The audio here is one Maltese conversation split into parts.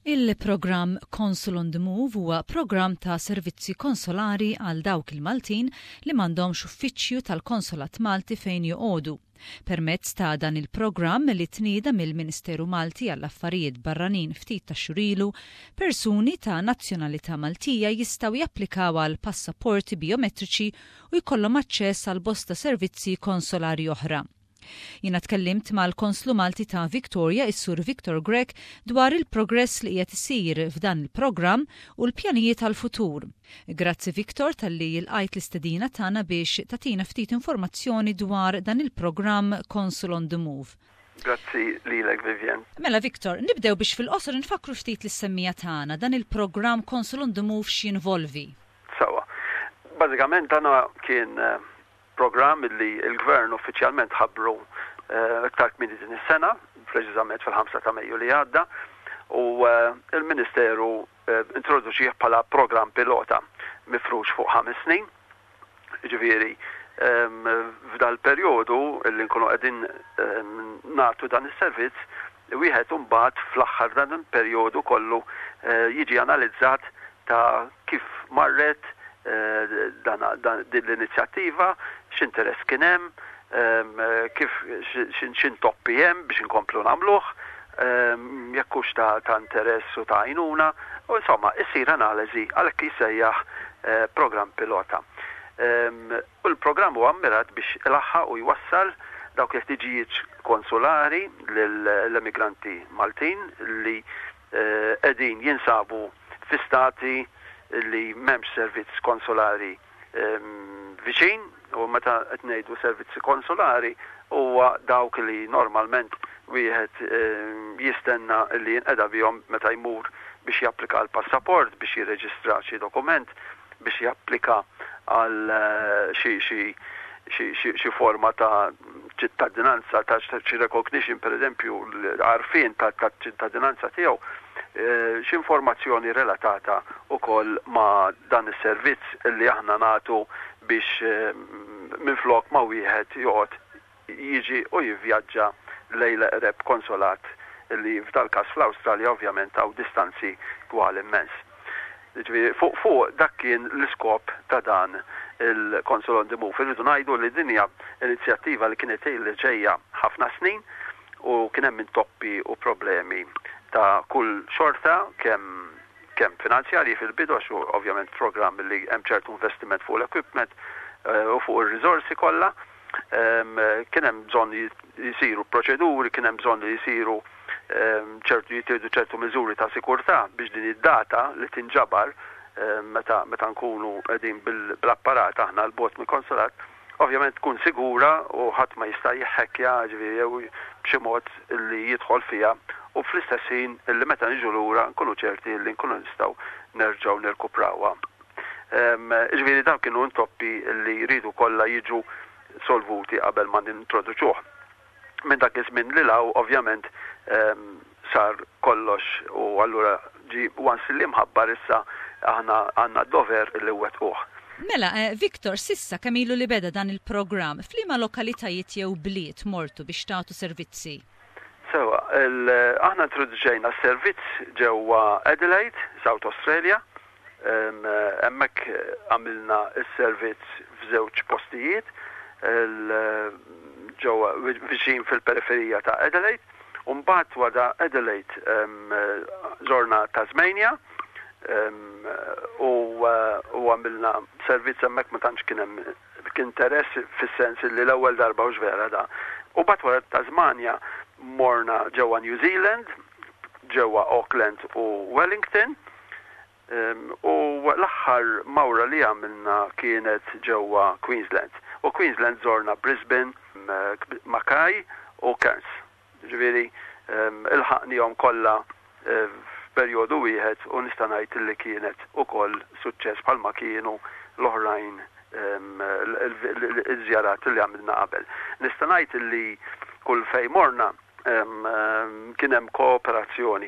Il-programm Consul on the Move huwa programm ta' servizzi konsolari għal dawk il-Maltin li m'għandhomx uffiċċju tal-Konsolat Malti fejn joqogħdu. Permezz ta' dan il-programm li tnieda mill-Ministeru Malti għall-Affarijiet Barranin ftit tax-xhur ilu, persuni ta' nazzjonalità Maltija jistgħu japplikaw għal passaporti bijometriċi u jkollhom aċċess għal bosta servizzi konsolari oħra. Jiena tkellimt mal-Konslu Malti ta' Victoria, is-Sur Victor Grech, dwar il-progress li qiegħed isir f'dan il-programm u l-pjanijiet għall-futur. Grazzi Victor talli lqajt l-istedina tagħna biex tagħtina ftit informazzjoni dwar dan il-programm Consul on the Move. Grazzi lilek Vivian. Mela Victor, nibdew biex fil-qosor infakkru ftit lis-semmiegħa tagħna dan il-programm Consul on the Move x'jinvolvi. Sewwa. Bażikament dan kien Programm li l-Gvern uffiċjalment ħabbru iktar kmieni din is-sena, preċiżament fil-5 ta' Mejju li għadda, u l-Ministeru introduċih bħala programm pilota mifrux fuq ħames snin. Jiġifieri f'dal-perjodu li nkunu qegħdin nagħtu dan is-servizz, wieħed imbagħad fl-aħħar dan il-perjodu kollu jiġi analizzat ta' kif marret din l-inizjattiva, x'interess kien hemm, kif x'intoppi hemm biex inkomplu nagħmluh, jekk hux ta' interess u ta' għajnuna, u insomma issir analiżi għalhekk jissejjaħ programm pilota. U l-programm huwa mmirat biex ilaħħaq u jwassal dawk il-ħtiġijiet konsulari lill-emigranti Maltin li qegħdin jinsabu fi stati li m'hemmx servizz konsulari viċin, u meta qed ngħidu servizzi konsulari huwa dawk li normalment wieħed jistenna li jinqeda bihom meta jmur biex japplika għal passaport, biex jirreġistra xi dokument, biex japplika għal xi xi xi forma ta' ċittadinanza, ta' xi recognition pereżempju, l-għarfien ta' ċittadinanza tiegħu, xi informazzjoni relatata wkoll ma' dan is-servizz li aħna nagħtu biex minflok ma wieħed joqgħod jiġi u jivvjaġġa lejn l-eqreb konsolat li f'dal-każ fl-Awstralja ovvjament hawn distanzi twal immens. Jiġifieri fuq fuq dak kien l-iskop ta' dan il-Consul on the Move. Irridu ngħidu li din hija inizjattiva li kienet ilha ġejja ħafna snin u kien hemm intoppi u problemi ta' kull xorta kemm kemm finanzjarji fil-bidu għax hu ovvjament programm li hemm ċertu investiment fuq l-equipment u fuq ir-riżorsi kollha. Kien hemm bżonn jisiru proċeduri, kien hemm bżonn li jsiru ċertu jittieħdu ċertu miżuri ta' sikurtà biex din id-data li tinġabar meta meta nkunu qegħdin bl-apparat aħna 'l bogħod mill-konsulat, ovvjament tkun sigura u ħadd ma jista' jiħħekkja ġifieri jew b'xi mod li jidħol fiha u fl-istess ħin li meta niġu lura nkunu ċerti li nkunu nistgħu nerġgħu nirkuprawha. Jiġifieri dawn kienu intoppi li jridu kollha jiġu solvuti qabel ma nintroduċuh. Minn dak iż-żmien lil hawn ovvjament sar kollox u allura ġie once li mħabbar issa aħna għandna d-dover li nwettquh. Mela, Victor, s'issa kemm ilu li beda dan il-programm, f'liema lokalitajiet jew bliet mortu biex tagħtu servizzi? Sewwa, aħna introduċejna s-servizz ġewwa Adelaide, South Australia, Hemmhekk għamilna s-servizz f'żewġ postijiet, ġewwa viċin fil-periferija ta' Adelaide, u mbagħad wara Adelaide żorna Tasmania u għamilna servizz hemmhekk ma tantx kien hemm interess fis-sens li l-ewwel darba hux vera da. U mbagħad wara Tasmania morna ġewwa New Zealand, ġewwa Auckland u Wellington. U l-aħħar mawra li għamilna kienet ġewwa Queensland. U Queensland żorna Brisbane, Mackay u Cairns. Ġifieri ilħaqnihom kollha f'perjodu wieħed u nista' ngħid li kienet ukoll suċċess bħalma kienu l-oħrajn iż-żjarat li għamilna qabel. Nista' ngħid li kull fejn morna Kien hemm kooperazzjoni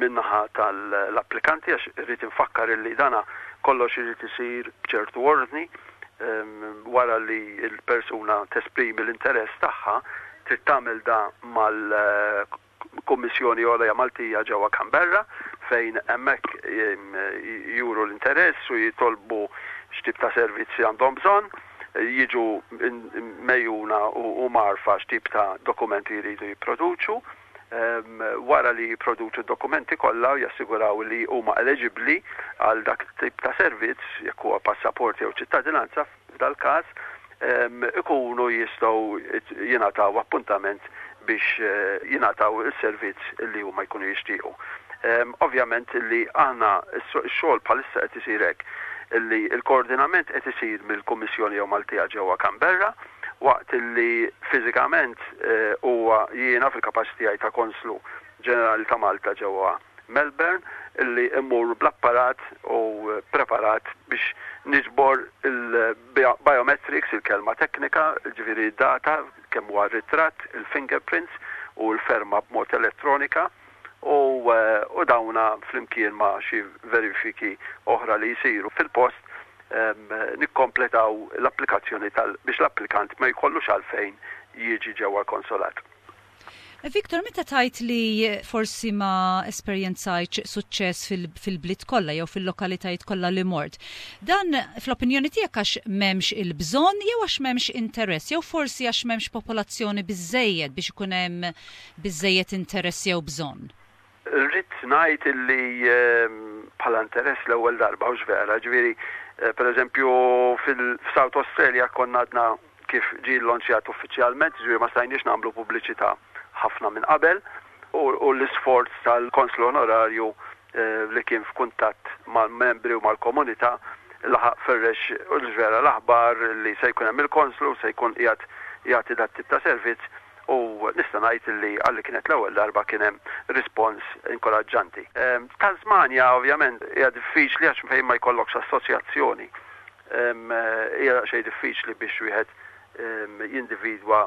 min-naħa tal-applikanti għax irrid infakkar illi dana kollox irid isir b'ċertu ordni. Wara li l-persuna tesprimi l-interess tagħha, trid tagħmel da mal-Kummissjoni Għolja Maltija ġewwa Canberra, fejn hemmhekk juru l-interess u jitolbu x'tip ta' servizzi għandhom bżonn, jiġu megħjuna u mgħarrfa x'tip ta' dokumenti jridu jipproduċu. Wara li jipproduċu d-dokumenti kollha u jassiguraw li huma eleġibbli għal dak it-tip ta' servizz, jekk huwa passaport jew ċittadinanza f'dal-każ, ikunu jistgħu jingħataw appuntament biex jingħataw is-servizz li huma jkunu jixtiequ. Ovvjament li aħna x-xogħol bħalissa qed isir hekk li l-koordinament qed isir mill-Kummissjoni jew Maltija ġewwa Canberra waqt li fiżikament huwa jiena fil-kapaċità tiegħi ta' Konslu Ġenerali ta' Malta ġewwa Melbourne li mmur bl-apparat u preparat biex niġbor il-biometrics, il-kelma teknika, ġifieri data, kemm huwa r-ritratt, il-fingerprints u l-ferma b'mod elettronika u u dawna flimkien ma' xi verifiki oħra li jsiru fil-post nikkompletaw l-applikazzjoni tal biex l-applikant ma jkollux għalfejn jiġi ġewwa l-konsolat. Victor, meta tgħid li forsi ma esperjenzajtx suċċess fil-bliet kollha jew fil-lokalitajiet kollha li mort, dan fl-opinjoni tiegħek għax m'hemmx il-bżonn jew għax m'hemmx interess jew forsi għax m'hemmx popolazzjoni biżżejjed biex ikun hemm biżżejjed interess jew bżonn? Rrid ngħid illi bħala interess l-ewwel darba, hux vera, ġifieri pereżempju fil-South Australia konna għadna kif ġie llonċjat uffiċjalment, jiġifieri ma stajniex nagħmlu pubbliċità ħafna minn qabel, u l-isforz tal-Konslu Onorarju li kien f'kuntatt mal-membri u mal-komunità laħaq ferrex u żvela l-aħbar li se jkun hemm il-Konslu, se jkun qiegħed jagħti dat-tip ta' servizz u nista' ngħid li għalli kienet l-ewwel darba kien hemm rispons inkoraġġanti. Tasmania ovvjament hija diffiċli għax fejn ma jkollokx assoċjazzjoni Hija daqsxejn diffiċli biex wieħed jindividwa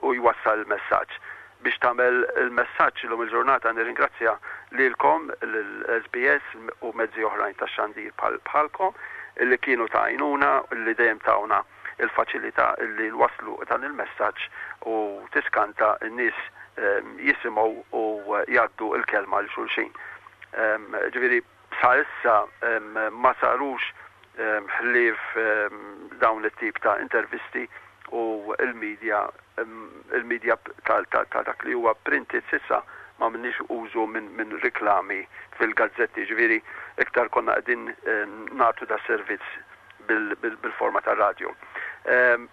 u jwassal il-messaġġ. Biex tagħmel il-messaġġ illum il-ġurnata nirringrazzja lilkom, lill-SBS u mezzi oħrajn tax-xandir bħalkom li kienu ta' għajnuna, li dejjem tawna l-faċilità li nwasslu dan il-messaġġ u tiskanta n-nies jisimgħu u jgħaddu l-kelma 'l xulxin. Ġifieri Sa issa ma sarux ħlief dawn it-tip ta' intervisti u l-media il-media ta' dak li huwa printed s'issa ma għamilniex użu minn riklami fil-gazzetti, jiġifieri iktar konna qegħdin nagħtu das-servizz bil-forma tar-radju.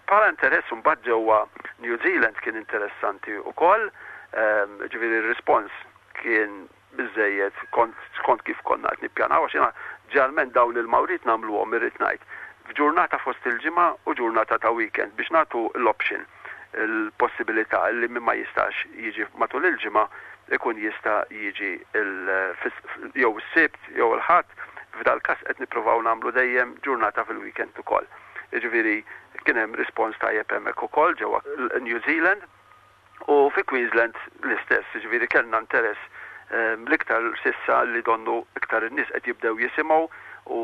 Bħala interess imbagħad ġewwa New Zealand kien interessanti wkoll, jiġifieri r-rispons kien biżżejjed skont kif konna qed nippjanaw għax jiena ġeneralment dawn il-mawriet nagħmluhom irrid ngħid f'ġurnata fost il-ġimgħa u ġurnata ta' weekend biex nagħtu l-option, il-possibilità li min ma jistax jiġi matul il-ġimgħa ikun jista' jiġi jew is-Sibt jew il-Ħadd, f'dal-każ qed nippruvaw nagħmlu dejjem ġurnata fil-weekend ukoll. Jiġifieri kien hemm rispons tajjeb hemmhekk ukoll ġewwa New Zealand. U fi Queensland l-istess, jiġifieri kellna interess l-iktar s'issa li donnu iktar in-nies qed jibdew jisimgħu u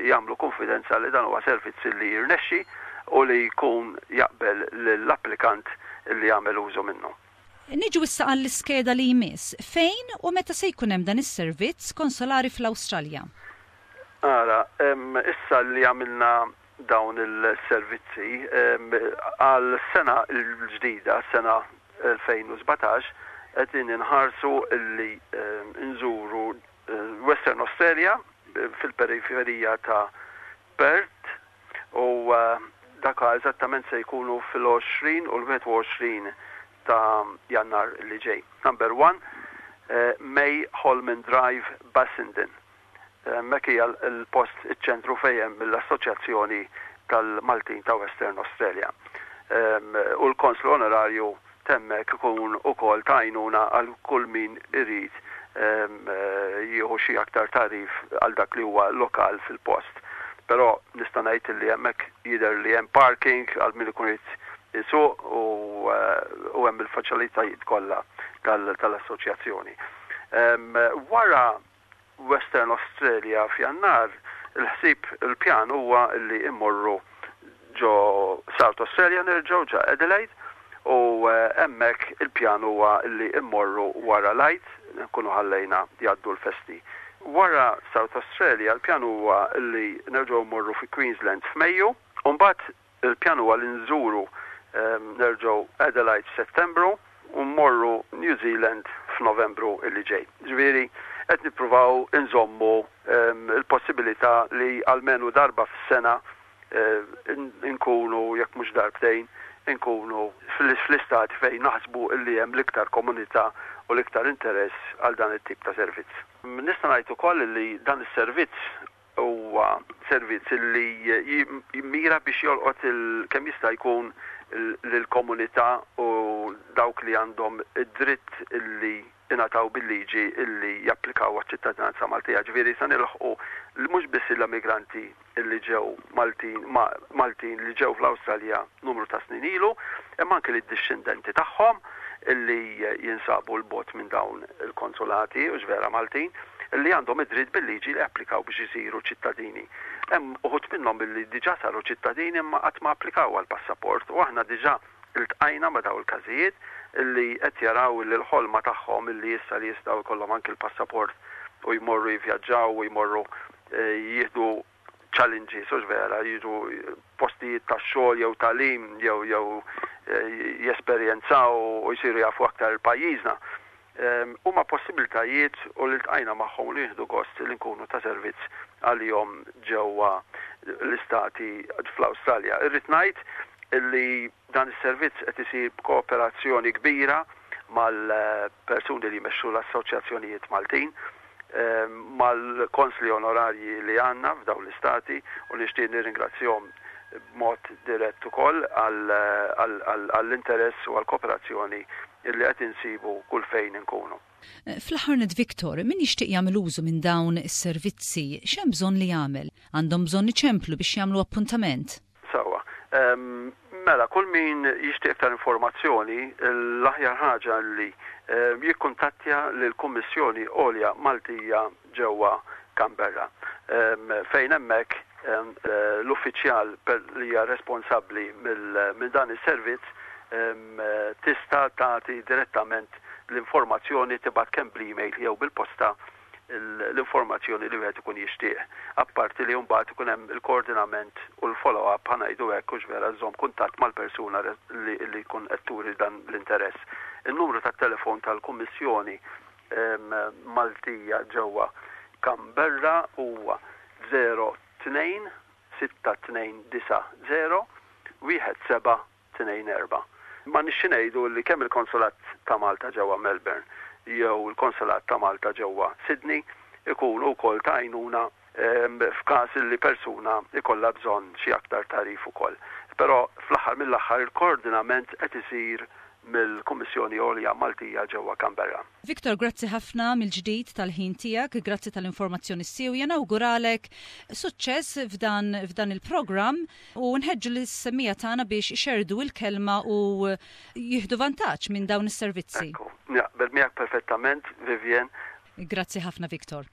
jagħmlu kunfidenza li dan huwa servizz li jirnexxi u li jkun jaqbel lill-applikant li jagħmel użu minnu. Niġu issa għall-iskeda li jmiss. Fejn u meta se jkun hemm dan is-servizz konsolari fl-Awstralja? Ara, issa li għamilna dawn il-servizzi għal sena l-ġdida, sena 2017, qegħdin inħarsu li nżuru Western Australia fil-periferija ta' Perth u dak eżattament se jkunu fil-20 u l-21 ta' Jannar li ġej. Number 1, May Holman Drive, Bassendean. Hemmhekk hija l-post iċ-ċentru fejn hemm l-Assoċjazzjoni tal-Maltin ta' Western Australia. U l-Konslu Onorarju t'hemmhekk ikun ukoll ta' għajnuna għal kull min irid jieħu xi aktar tagħrif għal dak li huwa lokal fil-post. Però nista' ngħid li hemmhekk jidher li hemm parking għal min ikun irid isuq u hemm il-faċilitajiet kollha tal-assoċjazzjoni. Wara Western Australia f'Jannar, il-ħsieb, il-pjan huwa li mmorru ġo South Australia nerġgħu ġa Adelaide u hemmhekk il-pjan huwa li mmorru wara l-Għid, nkunu ħallejna jgħaddu l-festi. Wara South Australia l-pjan huwa li nerġgħu mmorru fi Queensland f'Mejju, u mbagħad il-pjan huwa li nżuru nerġgħu Adelaide f'Settembru u mmorru New Zealand f'Novembru illi ġej. Ġifieri qed nippruvaw inżommu il-possibilità li almenu darba fis-sena inkunu, jekk mhux darbtejn, inkunu fl-istati fejn naħsbu li hemm l-iktar komunità u l-iktar interess għal dan it-tip ta' servizz. Nista' ngħid ukoll li dan is-servizz huwa servizz li jimmira biex jolqot kemm jista' jkun lill-komunità u dawk li għandhom id-dritt li ingħataw bil-liġi illi japplikaw għaċ-ċittadinanza Maltija. Ġifieri se nilħqu mhux biss l-immigranti illi ġew Maltin, Maltin li ġew fl-Awstralja numru ta' snin ilu, imma anke lid-dixxendenti tagħhom illi jinsabu 'l bogħod minn dawn il-konsulati, hux vera Maltin, illi għandhom id-dritt bil-liġi li japplikaw biex isiru ċittadini. Hemm uħud minnhom illi diġà saru ċittadini imma qatt ma applikaw għall-passaport u aħna diġà Iltqajna ma' dawn il-każijiet li qed jaraw li l-ħolma tagħhom li issa li jistgħu jkollhom anki l-passaport u jmorru jivvjaġġaw u jmorru jieħdu challenges, hux vera, jiġu postijiet ta' xogħol jew tagħlim jew jew jesperjenzaw u jsiru jafu aktar il-pajjiżna. Huma possibiltajiet u li ltqajna magħhom u li nieħdu gost li nkunu ta' servizz għalihom ġewwa l-istati fl-Awstralja. Irrid ngħid li dan is-servizz qed isir b'kooperazzjoni kbira mal-persuni li jmexxu l-assoċjazzjonijiet Maltin, mal-konsli onorarji li għandna f'dawn l-istati u nixtieq nirringrazzjahom b'mod dirett ukoll għall-interess u għall-kooperazzjoni li qed insibu kull fejn inkunu. Fl-aħħar nett Victor, min jixtieq jagħmel użu minn dawn is-servizzi, x'hemm bżonn li jagħmel? Għandhom bżonn iċemplu biex jagħmlu appuntament? Sewwa. Mela, kull min jixtieq iktar informazzjoni, l-aħjar ħaġa li jikkuntattja lill-Kummissjoni Għolja Maltija ġewwa Canberra, fejn hemmhekk l-uffiċjal li hija responsabbli minn dan is-servizz tista' tagħti direttament l-informazzjoni, tibgħat kemm bl-email jew bil-posta l-informazzjoni li wieħed ikun jixtieq. Apparti li mbagħad ikun hemm il-koordinament u l-follow-up, ħa ngħidu hekk, hux vera, żżomm kuntatt mal-persuna li jkun qed turi dan l-interess. In-numru tat-telefon tal-Kummissjoni Maltija ġewwa Canberra huwa 02 6290 1724. M'għandniex xi ngħidu li kemm il-Konsulat ta' Malta ġewwa Melbourne jew il-Konsulat ta' Malta ġewwa Sydney ikunu wkoll ta' għajnuna f'każ li persuna jkollha bżonn xi aktar tagħrif ukoll. Però fl-aħħar mill-aħħar il-koordinament qed isir mill-Kummissjoni Għolja Maltija ġewwa Canberra. Victor, grazzi ħafna mill-ġdid tal-ħin tiegħek, grazzi tal-informazzjoni siewja, nawguralek suċċess f'dan f'dan il-programm u nħeġġu lis-semmiegħa tagħna biex ixerrdu l-kelma u jieħdu vantaġġ minn dawn is-servizzi. Ekku, naqbel miegħek perfettament, Vivienne. Grazzi ħafna Victor.